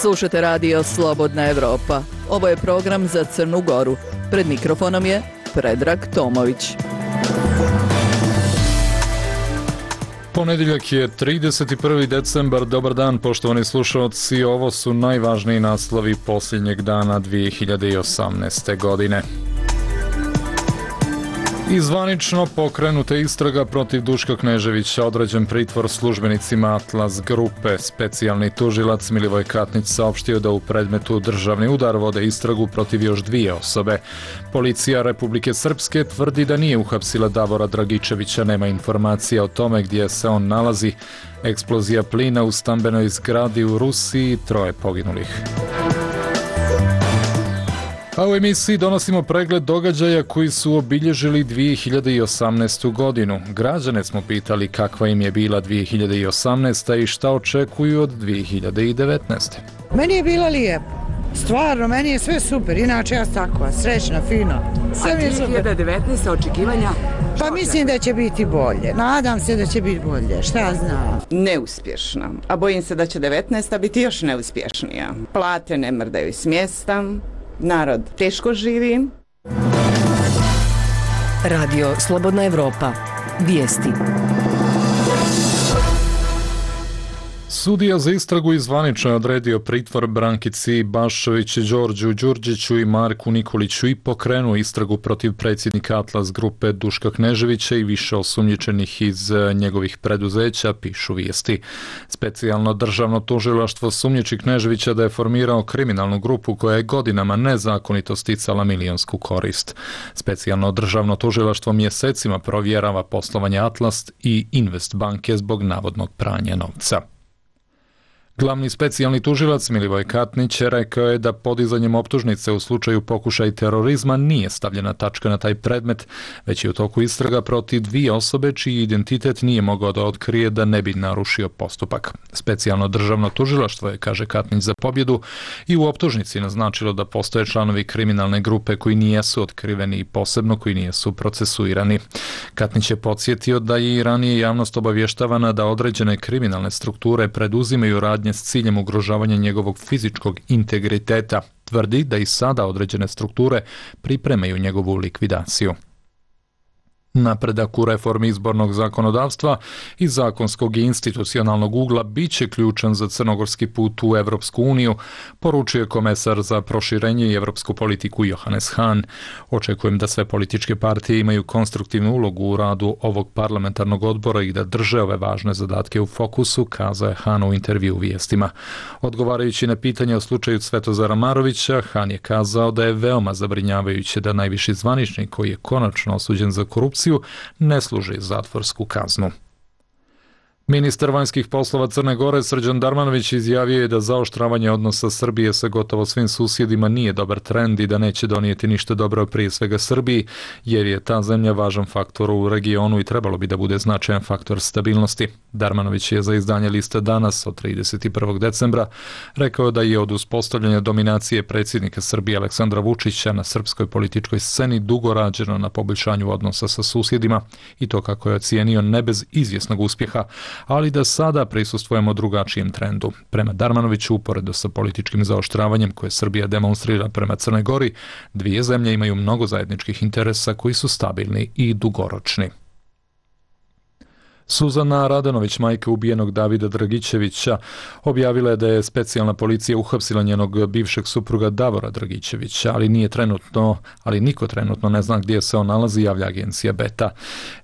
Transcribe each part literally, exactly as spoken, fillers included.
Slušate radio Slobodna Evropa. Ovo je program za Crnu Goru. Pred mikrofonom je Predrag Tomović. Ponedjeljak je trideset prvi decembar. Dobar dan, poštovani slušalci. Ovo su najvažniji naslovi posljednjeg dana dvije hiljade osamnaeste. godine. I zvanično pokrenuta istraga protiv Duška Kneževića, određen pritvor službenicima Atlas grupe. Specijalni tužilac Milivoj Katnić saopštio da u predmetu državni udar vode istragu protiv još dvije osobe. Policija Republike Srpske tvrdi da nije uhapsila Davora Dragičevića, nema informacija o tome gdje se on nalazi. Eksplozija plina u stambenoj zgradi u Rusiji, troje poginulih. A u emisiji donosimo pregled događaja koji su obilježili dvije hiljade osamnaestu. godinu. Građane smo pitali kakva im je bila dvije hiljade osamnaesta. i šta očekuju od dvije hiljade devetnaeste. Meni je bila lijepa. Stvarno, meni je sve super. Inače ja sam takva, srećna, fina. Sve mi je super. A dvije hiljade devetnaeste. očekivanja? Pa mislim da će biti bolje. Nadam se da će biti bolje. Šta ja znam? Neuspješna. A bojim se da će devetnaesta. biti još neuspješnija. Plate ne mrdaju s mjesta. Narod teško živi. Radio Slobodna Evropa. Vijesti. Sudija za istragu zvanično je odredio pritvor Brankici Bašović, Đorđu Đurđiću i Marku Nikoliću i pokrenuo istragu protiv predsjednika Atlas grupe Duška Kneževića i više osumnjičenih iz njegovih preduzeća, pišu vijesti. Specijalno državno tužilaštvo sumnjiči Kneževića da je formirao kriminalnu grupu koja je godinama nezakonito sticala milionsku korist. Specijalno državno tužilaštvo mjesecima provjerava poslovanje Atlas i Invest banke zbog navodnog pranja novca. Glavni specijalni tužilac Milivoj Katnić rekao je da podizanjem optužnice u slučaju pokušaj terorizma nije stavljena tačka na taj predmet, već je u toku istraga protiv dvije osobe čiji identitet nije mogao da otkrije da ne bi narušio postupak. Specijalno državno tužilaštvo je, kaže Katnić, za pobjedu i u optužnici naznačilo da postoje članovi kriminalne grupe koji nijesu otkriveni i posebno koji nijesu procesuirani. Katnić je podsjetio da je i ranije javnost obavještavana da određene kriminalne strukture preduzimaju radnje s ciljem ugrožavanja njegovog fizičkog integriteta. Tvrdi da i sada određene strukture pripremaju njegovu likvidaciju. Napredak u reformi izbornog zakonodavstva i zakonskog i institucionalnog ugla biće ključan za crnogorski put u Evropsku uniju, poručuje komesar za proširenje i evropsku politiku Johannes Hahn. Očekujem da sve političke partije imaju konstruktivnu ulogu u radu ovog parlamentarnog odbora i da drže ove važne zadatke u fokusu, kazao je Hahn u intervju u vijestima. Odgovarajući na pitanje o slučaju Svetozara Marovića, Hahn je kazao da je veoma zabrinjavajuće da najviši zvaničnik koji je konačno osuđen za korupciju ne služi zatvorsku kaznu. Ministar vanjskih poslova Crne Gore Srđan Darmanović izjavio je da zaoštravanje odnosa Srbije sa gotovo svim susjedima nije dobar trend i da neće donijeti ništa dobro prije svega Srbiji, jer je ta zemlja važan faktor u regionu i trebalo bi da bude značajan faktor stabilnosti. Darmanović je za izdanje lista Danas od trideset prvog decembra rekao da je od uspostavljanja dominacije predsjednika Srbije Aleksandra Vučića na srpskoj političkoj sceni dugo rađeno na poboljšanju odnosa sa susjedima i to kako je ocijenio ne bez izvjesnog uspjeha, ali da sada prisustvujemo drugačijem trendu. Prema Darmanoviću, uporedo sa političkim zaoštravanjem koje Srbija demonstrira prema Crnoj Gori, dvije zemlje imaju mnogo zajedničkih interesa koji su stabilni i dugoročni. Suzana Radanović, majka ubijenog Davida Dragičevića, objavila je da je specijalna policija uhapsila njenog bivšeg supruga Davora Dragičevića, ali nije trenutno, ali niko trenutno ne zna gdje se on nalazi, javlja agencija Beta.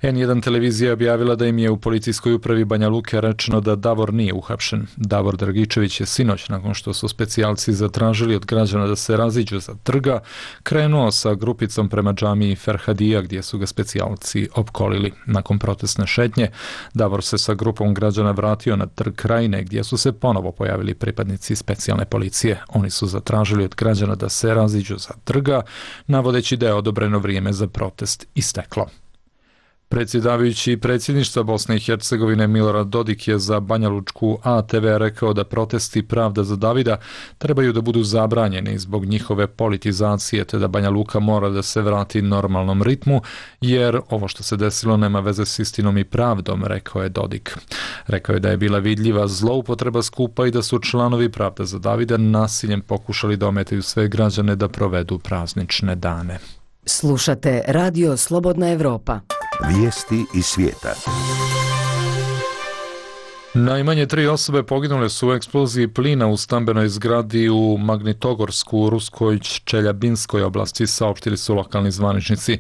en jedan televizija je objavila da im je u policijskoj upravi Banja Luke rečeno da Davor nije uhapšen. Davor Dragičević je sinoć, nakon što su specijalci zatražili od građana da se raziđu za trga, krenuo sa grupicom prema džamiji Ferhadija gdje su ga specijalci opkolili. Nakon protestne šetnje, Davor se sa grupom građana vratio na trg Krajine gdje su se ponovo pojavili pripadnici specijalne policije. Oni su zatražili od građana da se raziđu za trga, navodeći da je odobreno vrijeme za protest isteklo. Predsjedavajući predsjedništva Bosne i Hercegovine Milorad Dodik je za Banjalučku A T V rekao da protesti Pravda za Davida trebaju da budu zabranjeni zbog njihove politizacije, te da Banja Luka mora da se vrati normalnom ritmu, jer ovo što se desilo nema veze s istinom i pravdom, rekao je Dodik. Rekao je da je bila vidljiva zloupotreba skupa i da su članovi Pravda za Davida nasiljem pokušali da ometaju sve građane da provedu praznične dane. Slušate Radio Slobodna Evropa. Vijesti iz svijeta. Najmanje tri osobe poginule su u eksploziji plina u stambenoj zgradi u Magnitogorsku u ruskoj Čeljabinskoj oblasti, saopštili su lokalni zvaničnici.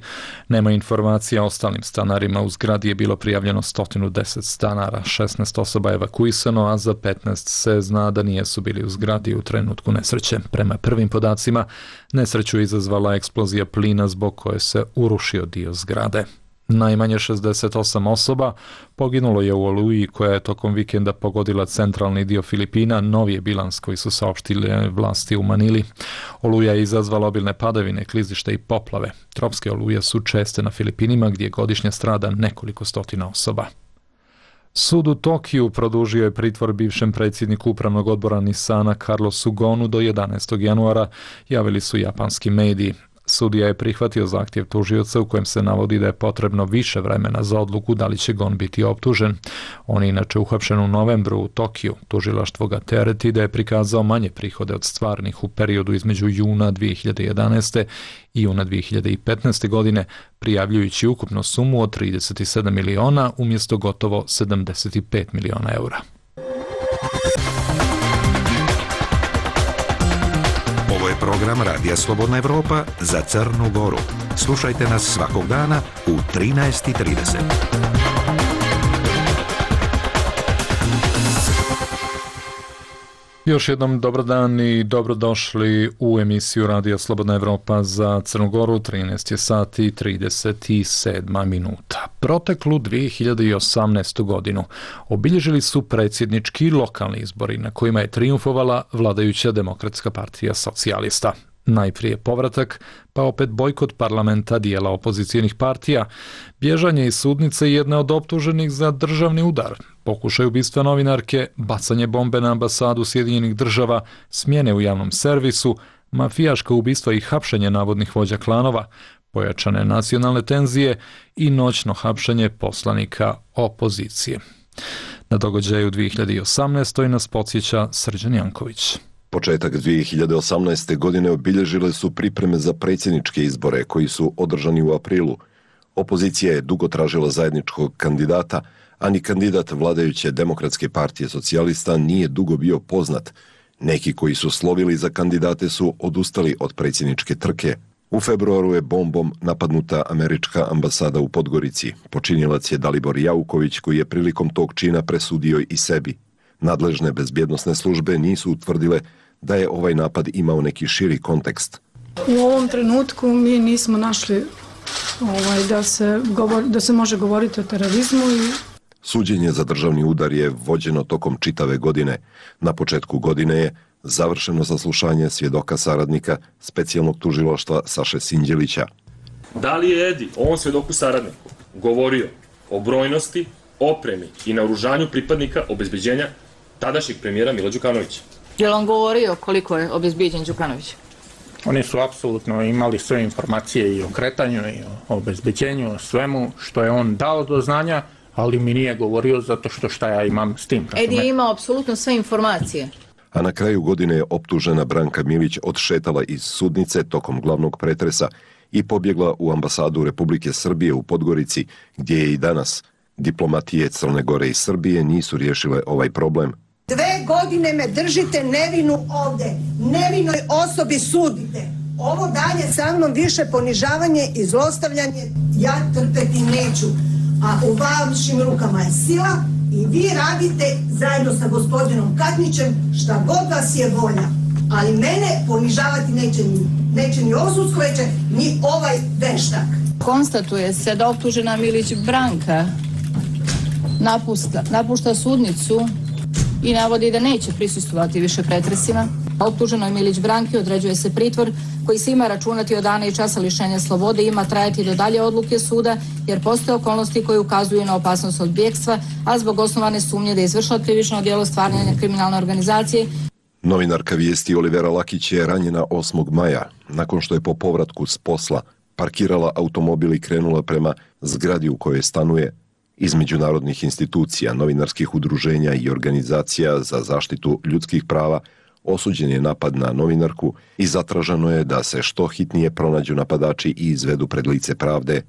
Nema informacija o ostalim stanarima. U zgradi je bilo prijavljeno sto deset stanara, šesnaest osoba je evakuisano, a za petnaest se zna da nijesu bili u zgradi u trenutku nesreće. Prema prvim podacima, nesreću je izazvala eksplozija plina zbog koje se urušio dio zgrade. Najmanje šezdeset osam osoba poginulo je u oluji koja je tokom vikenda pogodila centralni dio Filipina, novi je bilans koji su saopštile vlasti u Manili. Oluja je izazvala obilne padavine, klizište i poplave. Tropske oluje su česte na Filipinima gdje godišnje strada nekoliko stotina osoba. Sud u Tokiju produžio je pritvor bivšem predsjedniku upravnog odbora Nissana Carlosu Gonu do jedanaestog januara, javili su japanski mediji. Sudija je prihvatio zahtjev tužioca u kojem se navodi da je potrebno više vremena za odluku da li će Gon biti optužen. On je inače uhapšen u novembru u Tokiju. Tužilaštvo ga tereti da je prikazao manje prihode od stvarnih u periodu između juna dvije hiljade jedanaeste i juna dvije hiljade petnaeste. godine, prijavljujući ukupnu sumu od trideset sedam miliona umjesto gotovo sedamdeset pet miliona eura. Ovo je program Radija Slobodna Evropa za Crnu Goru. Slušajte nas svakog dana u trinaest i trideset. Još jednom dobar dan i dobrodošli u emisiju Radija Slobodna Evropa za Crnu Goru, trinaest je sati i trideset sedam minuta. Proteklu dvije hiljade osamnaestu. godinu obilježili su predsjednički i lokalni izbori na kojima je trijumfovala vladajuća Demokratska partija socijalista. Najprije povratak, pa opet bojkot parlamenta dijela opozicijenih partija, bježanje iz sudnice jedne od optuženih za državni udar, pokušaj ubistva novinarke, bacanje bombe na ambasadu Sjedinjenih država, smjene u javnom servisu, mafijaška ubistva i hapšenje navodnih vođa klanova, pojačane nacionalne tenzije i noćno hapšenje poslanika opozicije. Na događaju dvije hiljade osamnaeste. nas podsjeća Srđan Janković. Početak dvije hiljade osamnaeste. godine obilježile su pripreme za predsjedničke izbore koji su održani u aprilu. Opozicija je dugo tražila zajedničkog kandidata, a ni kandidat vladajuće Demokratske partije socijalista nije dugo bio poznat. Neki koji su slovili za kandidate su odustali od predsjedničke trke. U februaru je bombom napadnuta američka ambasada u Podgorici. Počinilac je Dalibor Jauković koji je prilikom tog čina presudio i sebi. Nadležne bezbjednosne službe nisu utvrdile da je ovaj napad imao neki širi kontekst. U ovom trenutku mi nismo našli ovaj, da, se govor, da se može govoriti o terorizmu. I... Suđenje za državni udar je vođeno tokom čitave godine. Na početku godine je završeno saslušanje svjedoka saradnika specijalnog tužilaštva Saše Sinđelića. Da li je Edi, ovom svjedoku saradniku, govorio o brojnosti, opremi i naoružanju pripadnika obezbeđenja tadašnjeg premijera Mila Đukanovića? Je li on govorio koliko je obezbeđen Đukanović? Oni su apsolutno imali sve informacije i o kretanju i o obezbeđenju, o svemu što je on dao do znanja, ali mi nije govorio zato što šta ja imam s tim. Edi je imao apsolutno sve informacije. A na kraju godine je optužena Branka Milić odšetala iz sudnice tokom glavnog pretresa i pobjegla u ambasadu Republike Srbije u Podgorici, gdje je i danas. Diplomatije Crne Gore i Srbije nisu riješile ovaj problem. Dve godine me držite nevinu ovde, nevinoj osobi sudite. Ovo dalje sa mnom više ponižavanje i zlostavljanje ja trpeti neću. A u vašim rukama je sila i vi radite zajedno sa gospodinom Katnićem šta god vas je volja. Ali mene ponižavati neće ni, neće ni ovo sudsko veće, ni ovaj veštak. Konstatuje se da optužena Milić Branka napusta, napušta sudnicu i navodi da neće prisustvovati više pretresima. Optuženoj Milić Branki određuje se pritvor koji se ima računati od dana i časa lišenja slobode i ima trajati do dalje odluke suda, jer postoje okolnosti koje ukazuju na opasnost od bjegstva, a zbog osnovane sumnje da je izvršila krivično djelo stvaranja kriminalne organizacije. Novinarka vijesti Olivera Lakić je ranjena osmog maja, nakon što je po povratku s posla parkirala automobil i krenula prema zgradi u kojoj stanuje. Iz međunarodnih institucija, novinarskih udruženja i organizacija za zaštitu ljudskih prava osuđen je napad na novinarku i zatraženo je da se što hitnije pronađu napadači i izvedu pred lice pravde.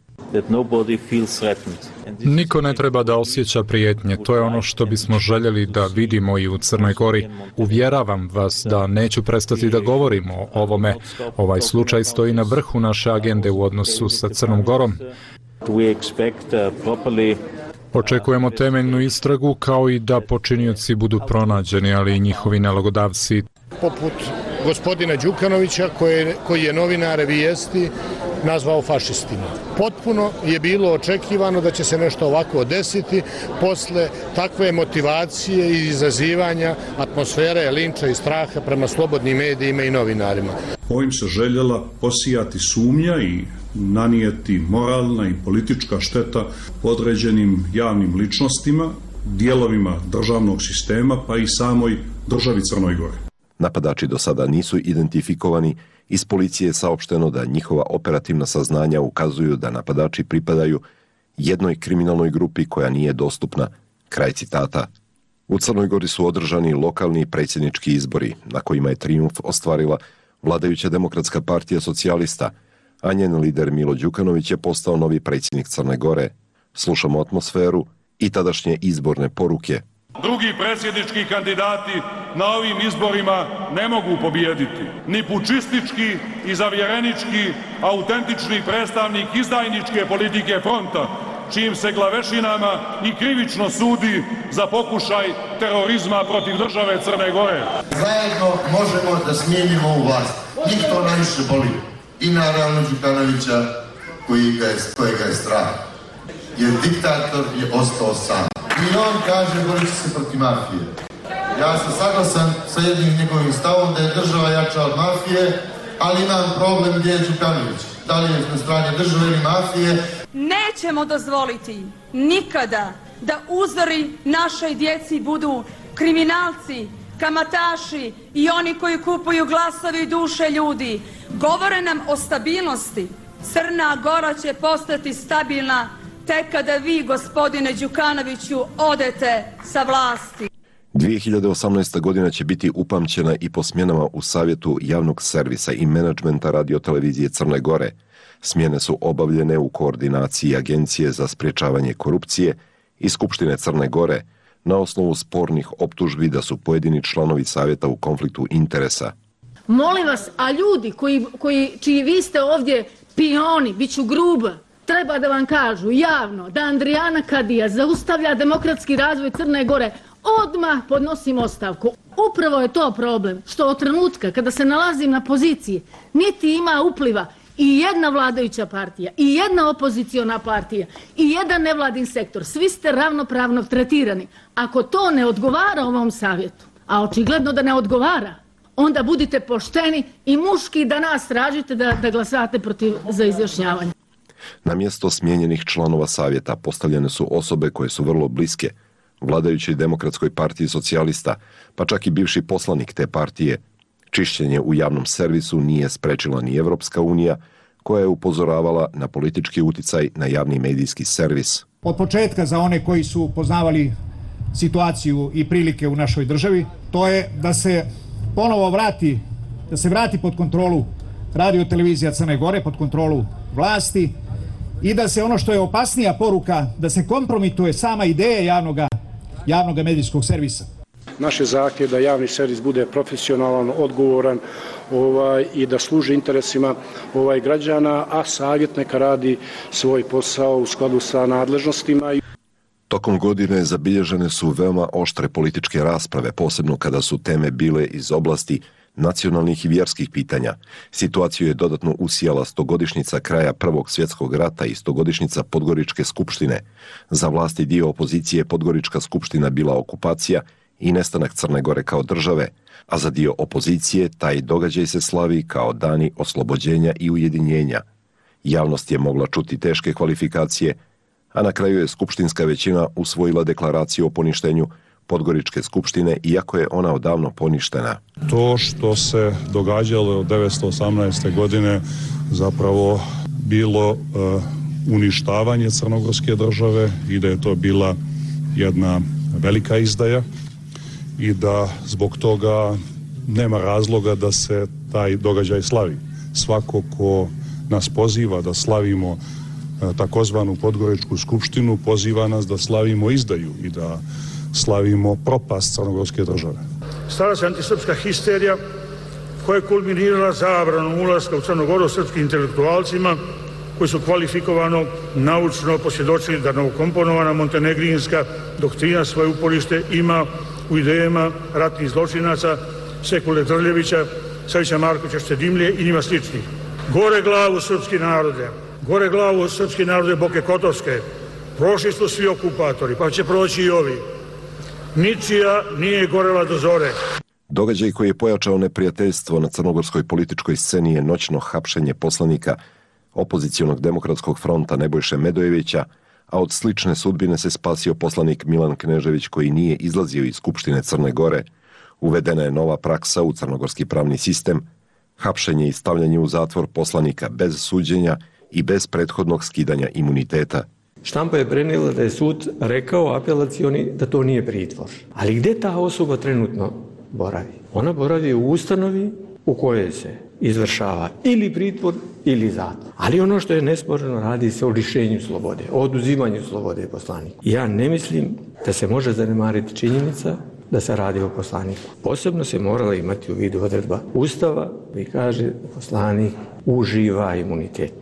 Niko ne treba da osjeća prijetnje, to je ono što bismo željeli da vidimo i u Crnoj Gori. Uvjeravam vas da neću prestati da govorimo o ovome. Ovaj slučaj stoji na vrhu naše agende u odnosu sa Crnom Gorom. Očekujemo temeljnu istragu kao i da počinioci budu pronađeni, ali i njihovi nalogodavci. Poput gospodina Đukanovića koji, koji je novinare vijesti nazvao fašistima. Potpuno je bilo očekivano da će se nešto ovako desiti posle takve motivacije i izazivanja atmosfere linča i straha prema slobodnim medijima i novinarima. Ovim se željela posijati sumnja i nanijeti moralna i politička šteta određenim javnim ličnostima, dijelovima državnog sistema pa i samoj državi Crnoj Gori. Napadači do sada nisu identifikovani. Iz policije je saopšteno da njihova operativna saznanja ukazuju da napadači pripadaju jednoj kriminalnoj grupi koja nije dostupna. Kraj citata. U Crnoj Gori su održani lokalni predsjednički izbori, na kojima je trijumf ostvarila vladajuća Demokratska partija socijalista, a njen lider Milo Đukanović je postao novi predsjednik Crne Gore. Slušamo atmosferu i tadašnje izborne poruke. Drugi predsjednički kandidati na ovim izborima ne mogu pobijediti. Ni pučistički i zavjerenički, autentični predstavnik izdajničke politike fronta, čijim se glavešinama i krivično sudi za pokušaj terorizma protiv države Crne Gore. Zajedno možemo da smijenimo ovu vlast. Njih to najviše boli. I naravno Đukanovića koji ga je, kojega je strah. Jer diktator je ostao sam. I on kaže borit će se protiv mafije. Ja sam saglasan sa jednim njegovim stavom da je država jača od mafije, ali imam problem gdje je Đukanović. Da li je na strani države ili mafije? Nećemo dozvoliti nikada da uzori našoj djeci budu kriminalci, kamataši i oni koji kupuju glasove i duše ljudi. Govore nam o stabilnosti. Crna Gora će postati stabilna tek kada vi, gospodine Đukanoviću, odete sa vlasti. dvije hiljade osamnaesta. godina će biti upamćena i po smjenama u Savjetu javnog servisa i menadžmenta radiotelevizije Crne Gore. Smjene su obavljene u koordinaciji Agencije za sprječavanje korupcije i Skupštine Crne Gore na osnovu spornih optužbi da su pojedini članovi savjeta u konfliktu interesa. Molim vas, a ljudi koji, koji, čiji vi ste ovdje pioni, bit ću gruba, treba da vam kažu javno da Andrijana Kadija zaustavlja demokratski razvoj Crne Gore, odmah podnosim ostavku. Upravo je to problem, što od trenutka kada se nalazim na poziciji, niti ima upliva i jedna vladajuća partija, i jedna opoziciona partija, i jedan nevladin sektor. Svi ste ravnopravno tretirani. Ako to ne odgovara ovom savjetu, a očigledno da ne odgovara, onda budite pošteni i muški da nas tražite da, da glasate protiv za izjašnjavanje. Na mjesto smijenjenih članova savjeta postavljene su osobe koje su vrlo bliske vladajućoj Demokratskoj partiji socijalista, pa čak i bivši poslanik te partije. Čišćenje u javnom servisu nije sprečila ni Evropska unija, koja je upozoravala na politički uticaj na javni medijski servis. Od početka za one koji su poznavali situaciju i prilike u našoj državi, to je da se ponovo vrati, da se vrati pod kontrolu radiotelevizija Crne Gore, pod kontrolu vlasti i da se ono što je opasnija poruka, da se kompromituje sama ideja javnoga, javnoga medijskog servisa. Naš je zahtjev da javni servis bude profesionalan, odgovoran ovaj, i da služi interesima ovaj, građana, a savjet neka radi svoj posao u skladu sa nadležnostima. Tokom godine zabilježene su veoma oštre političke rasprave, posebno kada su teme bile iz oblasti nacionalnih i vjerskih pitanja. Situaciju je dodatno usijala stogodišnjica kraja Prvog svjetskog rata i stogodišnjica Podgoričke skupštine. Za vlast i dio opozicije Podgorička skupština bila okupacija i nestanak Crne Gore kao države, a za dio opozicije taj događaj se slavi kao dani oslobođenja i ujedinjenja. Javnost je mogla čuti teške kvalifikacije, a na kraju je skupštinska većina usvojila deklaraciju o poništenju Podgoričke skupštine, iako je ona odavno poništena. To što se događalo od devetsto osamnaeste. godine zapravo bilo uh, uništavanje crnogorske države i da je to bila jedna velika izdaja i da zbog toga nema razloga da se taj događaj slavi. Svako ko nas poziva da slavimo uh, takozvanu Podgoričku skupštinu, poziva nas da slavimo izdaju i da slavimo propast crnogorske države. Stala se antisrpska histerija koja je kulminirala zabranom ulaska u Crnu Goru srpskim intelektualcima koji su kvalifikovano, naučno posvjedočili da novokomponovana montenegrinska doktrina svoje uporište ima u idejama ratnih zločinaca Sekule Drljevića, Savića Markovića Štedimlje i njima sličnih. Gore glavu srpski narode, gore glavu srpski narode Boke Kotovske, prošli su svi okupatori, pa će proći i ovi. Ničija nije gorela do zore. Događaj koji je pojačao neprijateljstvo na crnogorskoj političkoj sceni je noćno hapšenje poslanika opozicionog demokratskog fronta Nebojše Medojevića, a od slične sudbine se spasio poslanik Milan Knežević koji nije izlazio iz Skupštine Crne Gore. Uvedena je nova praksa u crnogorski pravni sistem, hapšenje i stavljanje u zatvor poslanika bez suđenja i bez prethodnog skidanja imuniteta. Štampa je prenijela da je sud rekao apelacioni da to nije pritvor. Ali gdje ta osoba trenutno boravi? Ona boravi u ustanovi u kojoj se izvršava ili pritvor ili zatvor. Ali ono što je nesporno, radi se o lišenju slobode, o oduzimanju slobode poslanika. Ja ne mislim da se može zanemariti činjenica da se radi o poslaniku. Posebno se morala imati u vidu odredba Ustava koji kaže da poslanik uživa imunitet.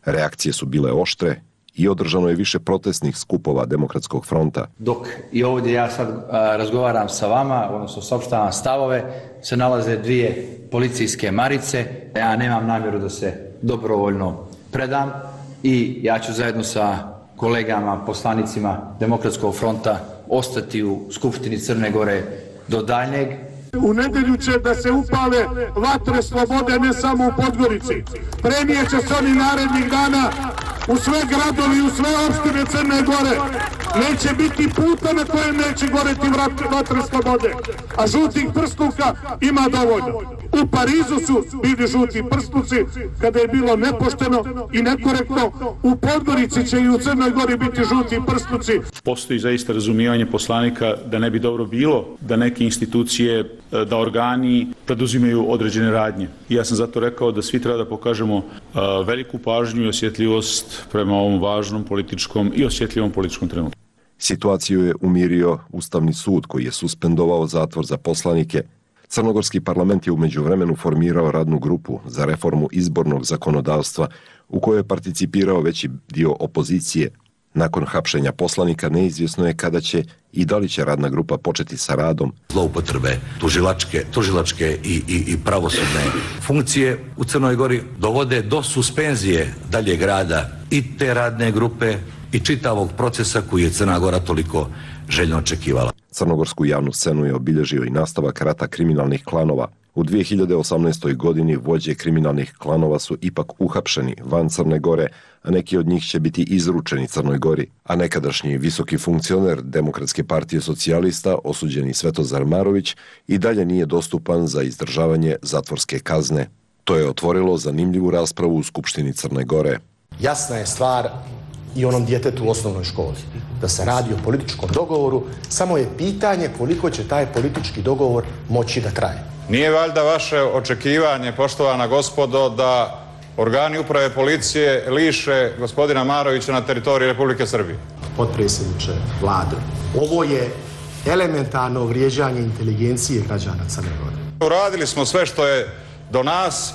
Reakcije su bile oštre i održano je više protestnih skupova Demokratskog fronta. Dok i ovdje ja sad a, razgovaram sa vama, odnosno saopštavam stavove, se nalaze dvije policijske marice. Ja nemam namjeru da se dobrovoljno predam i ja ću zajedno sa kolegama, poslanicima Demokratskog fronta ostati u Skupštini Crne Gore do daljnjeg. U nedjelju će da se upale vatre slobode ne samo u Podgorici. Premijeće se oni narednih dana u sve gradovi, u sve opštine Crne Gore. Neće biti puta na kojem neće goreti vatre slobode. A žutih prsluka ima dovoljno. U Parizu su bili žuti prsluci kada je bilo nepošteno i nekorektno. U Podgorici će i u Crnoj Gori biti žuti prsluci. Postoji zaista razumijevanje poslanika da ne bi dobro bilo da neke institucije, da organi preduzimaju određene radnje. I ja sam zato rekao da svi treba da pokažemo veliku pažnju i osjetljivost prema ovom važnom političkom i osjetljivom političkom trenutku. Situaciju je umirio Ustavni sud koji je suspendovao zatvor za poslanike. Crnogorski parlament je u međuvremenu formirao radnu grupu za reformu izbornog zakonodavstva u kojoj je participirao veći dio opozicije. Nakon hapšenja poslanika neizvjesno je kada će i da li će radna grupa početi sa radom. Zloupotrebe tužilačke, tužilačke i, i, i pravosudne funkcije u Crnoj Gori dovode do suspenzije daljeg rada i te radne grupe i čitavog procesa koji je Crna Gora toliko željno očekivala. Crnogorsku javnu scenu je obilježio i nastavak rata kriminalnih klanova. U dvije hiljade osamnaestoj. godini vođe kriminalnih klanova su ipak uhapšeni van Crne Gore, a neki od njih će biti izručeni Crnoj Gori. A nekadašnji visoki funkcioner Demokratske partije socijalista, osuđeni Svetozar Marović, i dalje nije dostupan za izdržavanje zatvorske kazne. To je otvorilo zanimljivu raspravu u Skupštini Crne Gore. Jasna je stvar i onom djetetu u osnovnoj školi da se radi o političkom dogovoru, samo je pitanje koliko će taj politički dogovor moći da traje. Nije valjda vaše očekivanje, poštovana gospodo, da organi uprave policije liše gospodina Marovića na teritoriji Republike Srbije? Potpredsjedniče Vlade, ovo je elementarno vrijeđanje inteligencije građana Crne Gore. Uradili smo sve što je do nas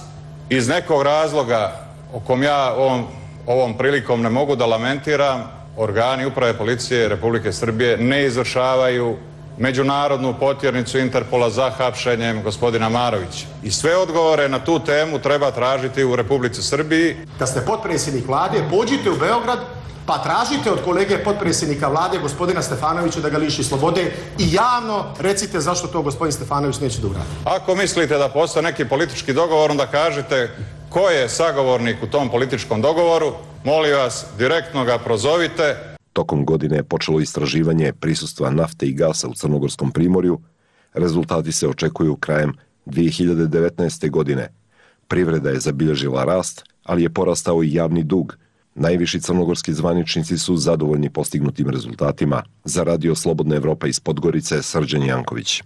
iz nekog razloga o kom ja ovom, ovom prilikom ne mogu da lamentiram. Organi uprave policije Republike Srbije ne izvršavaju međunarodnu potjernicu Interpola za hapšenjem gospodina Marovića. I sve odgovore na tu temu treba tražiti u Republici Srbiji. Da ste potpredsjednik Vlade, pođite u Beograd Pa tražite od kolege potpredsjednika vlade, gospodina Stefanovića, da ga liši slobode i javno recite zašto to gospodin Stefanović neće da uradi. Ako mislite da postoji neki politički dogovor, onda kažite ko je sagovornik u tom političkom dogovoru, molim vas, direktno ga prozovite. Tokom godine je počelo istraživanje prisustva nafte i gasa u Crnogorskom primorju. Rezultati se očekuju krajem dvije hiljade devetnaeste. godine. Privreda je zabilježila rast, ali je porastao i javni dug. Najviši crnogorski zvaničnici su zadovoljni postignutim rezultatima. Za Radio Slobodna Evropa iz Podgorice, Srđan Janković.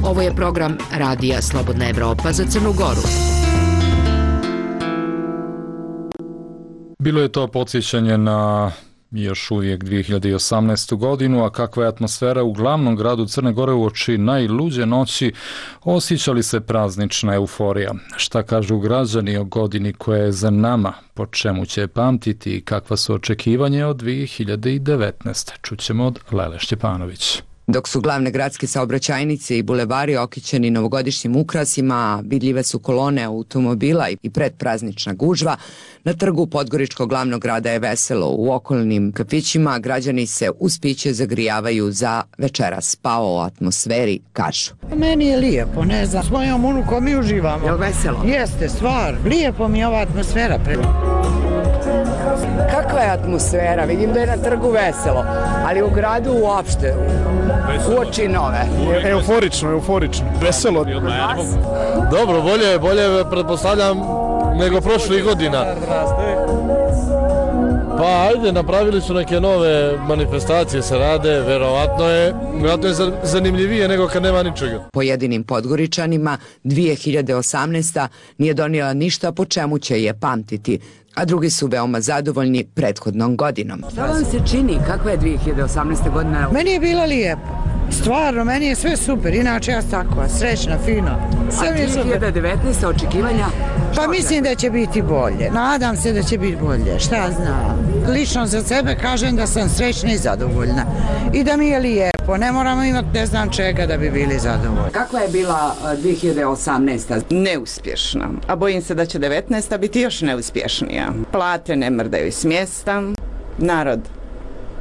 Ovo je program Radija Slobodna Evropa za Crnu Goru. Bilo je to podsjećanje na još uvijek dvije hiljade osamnaestu. godinu, a kakva je atmosfera u glavnom gradu Crne Gore uoči najluđe noći, osjećali se praznična euforija. Šta kažu građani o godini koja je za nama, po čemu će pamtiti i kakva su očekivanja od dvije hiljade devetnaeste. Čućemo od Lele Šćepanović. Dok su glavne gradske saobraćajnice i bulevari okićeni novogodišnjim ukrasima, vidljive su kolone automobila i predpraznična gužva, na trgu Podgoričkog glavnog grada je veselo. U okolnim kafićima građani se uz piće zagrijavaju za večeras, pa o atmosferi kažu. Meni je lijepo, ne znam, s mojom unukom mi uživamo. Je li veselo? Jeste, stvar. Lijepo mi je ova atmosfera. Kakva je atmosfera? Vidim da je na trgu veselo, ali u gradu uopšte, uoči nove. Euforično, euforično. Veselo. Dobro, bolje, bolje pretpostavljam nego prošlih godina. Pa ajde, napravili su neke nove manifestacije, se rade, verovatno je, verovatno je zanimljivije nego kad nema ničega. Pojedinim Podgoričanima dvije hiljade osamnaesta. nije donijela ništa po čemu će je pamtiti, a drugi su veoma zadovoljni prethodnom godinom. Šta vam se čini? Kakva je dvije hiljade osamnaesta. godina? Meni je bila lijepo. Stvarno, meni je sve super. Inače ja sam takva, srećna, fina. A dvije hiljade devetnaeste. očekivanja? Pa mislim da će biti bolje. Nadam se da će biti bolje. Šta znam? Lično za sebe kažem da sam srećna i zadovoljna. I da mi je lijepo. Ne moramo imati ne znam čega da bi bili zadovoljni. Kakva je bila dvije hiljade osamnaesta. Neuspješna. A bojim se da će devetnaesta. biti još neuspješnija. Plate ne mrdaju s mjesta. Narod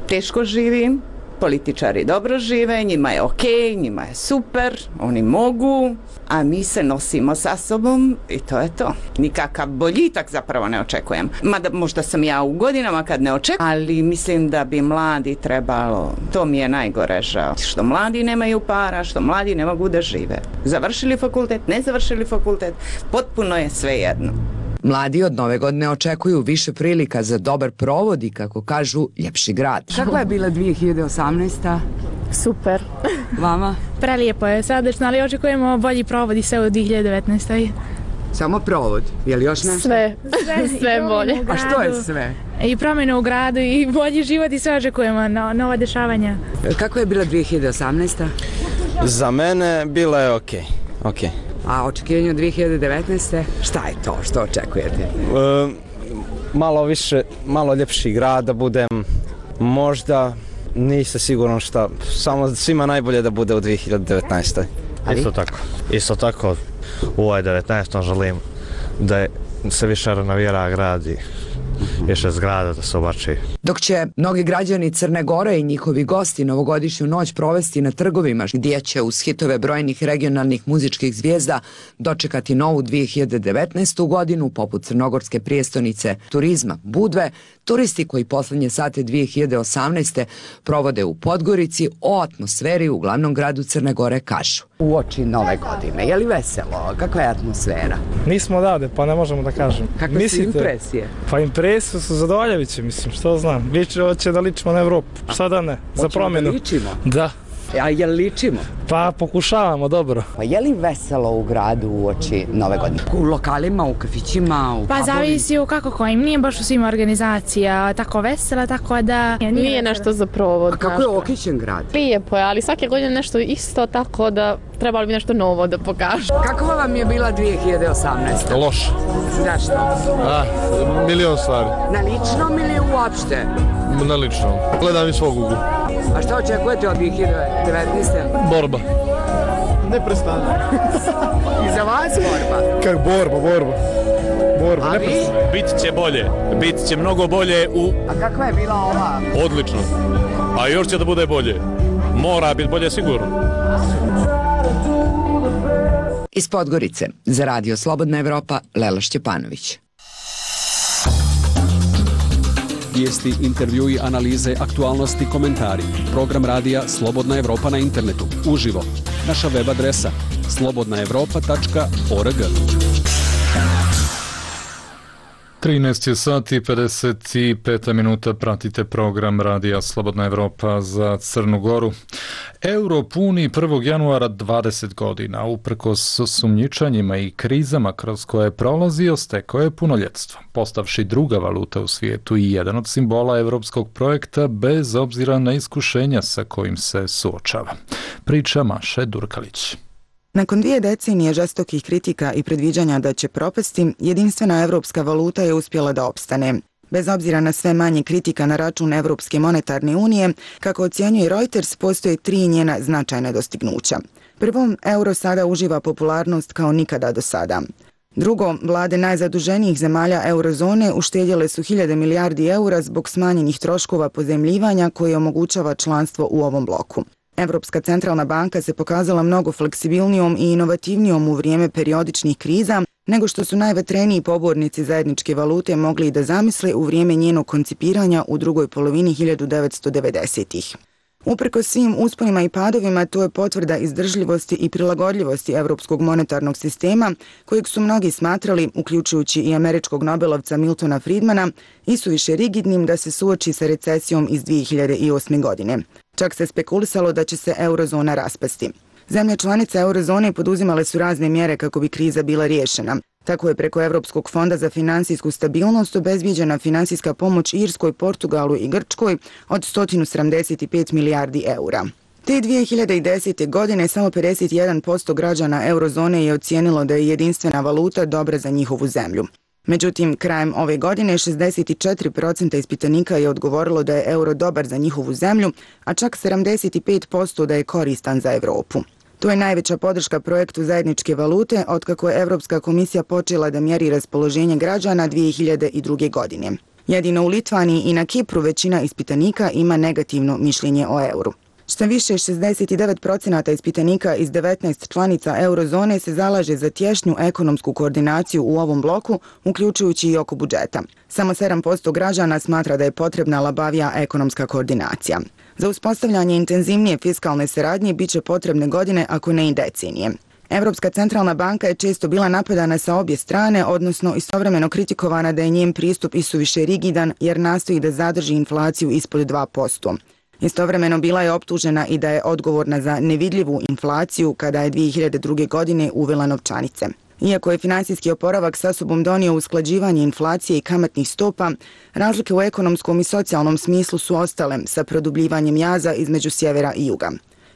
teško živi. Političari dobro žive, njima je ok, njima je super, oni mogu, a mi se nosimo sa sobom i to je to. Nikakav boljitak zapravo ne očekujem. Mada možda sam ja u godinama kad ne očekujem, ali mislim da bi mladi trebalo, to mi je najgore žao, što mladi nemaju para, što mladi ne mogu da žive. Završili fakultet, ne završili fakultet, potpuno je sve jedno. Mladi od nove godine očekuju više prilika za dobar provod i, kako kažu, ljepši grad. Kakva je bila dvije hiljade osamnaesta. Super. Vama? Prelijepo je, srdečno, ali očekujemo bolji provod i sve u dvije hiljade devetnaestoj. Samo provod? Je li još nešto? Sve, sve, sve bolje. A što je sve? I promjene u gradu i bolji život i sve očekujemo, no, nova dešavanja. Kakva je bila dvije hiljade osamnaesta. Za mene bila je ok. Ok. A očekivanje od dvije hiljade devetnaeste. Šta je to što očekujete? E, malo više, malo ljepši grad da budem, možda nisam siguran šta, samo svima najbolje da bude u dvije hiljade devetnaestoj. Ali? Isto tako, isto tako u ovoj devetnaestoj želim da se više renovira grad i više zgrada da se obači. Dok će mnogi građani Crne Gore i njihovi gosti novogodišnju noć provesti na trgovima, gdje će uz hitove brojnih regionalnih muzičkih zvijezda dočekati novu dvije hiljade devetnaestu. godinu, poput crnogorske prijestolnice turizma Budve, turisti koji posljednje sate dvije hiljade osamnaeste. provode u Podgorici, o atmosferi u glavnom gradu Crne Gore kažu. Uoči nove godine, je li veselo? Kakva je atmosfera? Nismo odavde, pa ne možemo da kažem. Kakve Mislite? su impresije? Pa impresije su zadovoljavajuće, mislim, što znam. Liči, hoće da ličimo na Evropu, šta da ne, za promjenu. Da ličimo? Da. A je li ličimo? Pa pokušavamo, dobro. Pa je li veselo u gradu uoči nove godine? U lokalima, u kafićima, u Pa pubovi? zavisi u kako kojim, nije baš u svim organizacija tako vesela, tako da... Nije, nije nešto za provod. A kako je okićen grad? Lijepo je, ali svake godine nešto isto, tako da trebalo bi nešto novo da pokažu. Kako vam je bila dvije hiljade osamnaesta. Loš. Zašto? A, milion stvari. Na ličnom ili uopšte? Na ličnom. Gledam iz svog ugla. A što očekujete od dvije hiljade devetnaeste. Borba. Ne prestane. I za vas borba? Kak borba, borba. borbu. A vi? Bit će bolje. Bit će mnogo bolje u... A kakva je bila ova? Odlično. A još će da bude bolje. Mora biti bolje sigurno. Iz Podgorice, za Radio Slobodna Evropa, Lela Šćepanović. Vijesti, intervjui, analize, aktualnosti, komentari. Program radija Slobodna Evropa na internetu. Uživo. Naša web adresa slobodna evropa tačka org. trinaest je sati i pedeset pet minuta, pratite program radija Slobodna Evropa za Crnu Goru. Euro puni prvog januara dvadeset godina, uprkos sumnjičanjima i krizama kroz koje je prolazio, stekao je punoljetstvo, postavši druga valuta u svijetu i jedan od simbola evropskog projekta bez obzira na iskušenja sa kojim se suočava. Priča Maše Durkalić. Nakon dvije decenije žestokih kritika i predviđanja da će propasti, jedinstvena evropska valuta je uspjela da opstane. Bez obzira na sve manje kritika na račun Evropske monetarne unije, kako ocjenjuje Reuters, postoje tri njena značajna dostignuća. Prvo, euro sada uživa popularnost kao nikada do sada. Drugo, vlade najzaduženijih zemalja eurozone uštedjele su hiljade milijardi eura zbog smanjenih troškova pozemljivanja koji omogućava članstvo u ovom bloku. Evropska centralna banka se pokazala mnogo fleksibilnijom i inovativnijom u vrijeme periodičnih kriza nego što su najvetreniji pobornici zajedničke valute mogli da zamisle u vrijeme njenog koncipiranja u drugoj polovini hiljadu devetsto devedesetih. Uprkos svim usponima i padovima, to je potvrda izdržljivosti i prilagodljivosti evropskog monetarnog sistema, kojeg su mnogi smatrali, uključujući i američkog nobelovca Miltona Friedmana, isuviše rigidnim da se suoči sa recesijom iz dvije hiljade osme. godine. Čak se spekulisalo da će se eurozona raspasti. Zemlje članice eurozone poduzimale su razne mjere kako bi kriza bila riješena. Tako je preko Evropskog fonda za finansijsku stabilnost obezbijeđena finansijska pomoć Irskoj, Portugalu i Grčkoj od sto sedamdeset pet milijardi eura. Te dvije hiljade desete. godine samo pedeset jedan posto građana eurozone je ocijenilo da je jedinstvena valuta dobra za njihovu zemlju. Međutim, krajem ove godine šezdeset četiri posto ispitanika je odgovorilo da je euro dobar za njihovu zemlju, a čak sedamdeset pet posto da je koristan za Evropu. To je najveća podrška projektu zajedničke valute otkako je Evropska komisija počela da mjeri raspoloženje građana dvije hiljade druge. godine. Jedino u Litvaniji i na Kipru većina ispitanika ima negativno mišljenje o euru. Šta više, šezdeset devet posto ispitanika iz devetnaest članica eurozone se zalaže za tješnju ekonomsku koordinaciju u ovom bloku, uključujući i oko budžeta. Samo sedam posto građana smatra da je potrebna labavija ekonomska koordinacija. Za uspostavljanje intenzivnije fiskalne saradnje bit će potrebne godine, ako ne i decenije. Evropska centralna banka je često bila napadana sa obje strane, odnosno istovremeno kritikovana da je njen pristup isuviše rigidan jer nastoji da zadrži inflaciju ispod dva posto. Istovremeno bila je optužena i da je odgovorna za nevidljivu inflaciju kada je dvije hiljade druge. godine uvela novčanice. Iako je finansijski oporavak sa sobom donio usklađivanje inflacije i kamatnih stopa, razlike u ekonomskom i socijalnom smislu su ostale sa produbljivanjem jaza između sjevera i juga.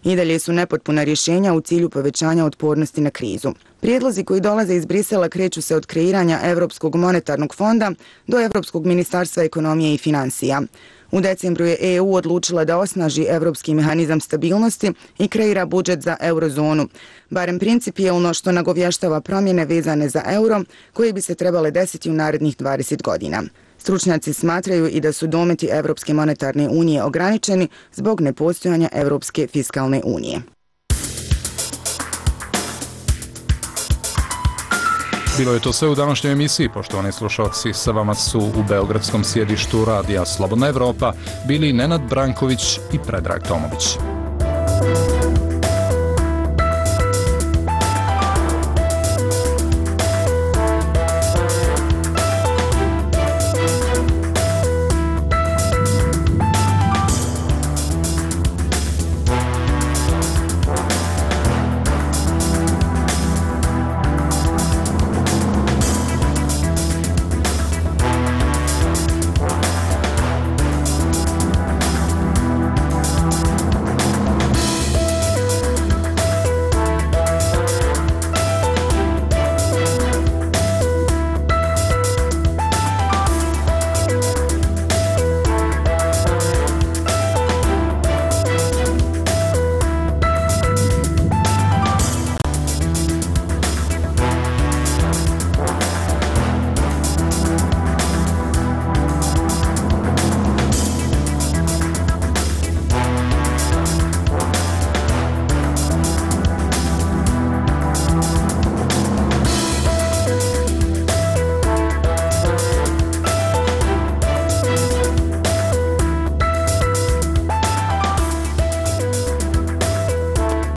I dalje su nepotpuna rješenja u cilju povećanja otpornosti na krizu. Prijedlozi koji dolaze iz Brisela kreću se od kreiranja Evropskog monetarnog fonda do Evropskog ministarstva ekonomije i financija. U decembru je E U odlučila da osnaži Evropski mehanizam stabilnosti i kreira budžet za eurozonu. Barem principijelno, što nagovještava promjene vezane za euro koje bi se trebale desiti u narednih dvadeset godina. Stručnjaci smatraju i da su dometi Evropske monetarne unije ograničeni zbog nepostojanja Evropske fiskalne unije. Bilo je to sve u današnjoj emisiji. Poštovani slušalci, sa vama su u beogradskom sjedištu Radija Slobodna Evropa bili Nenad Branković i Predrag Tomović.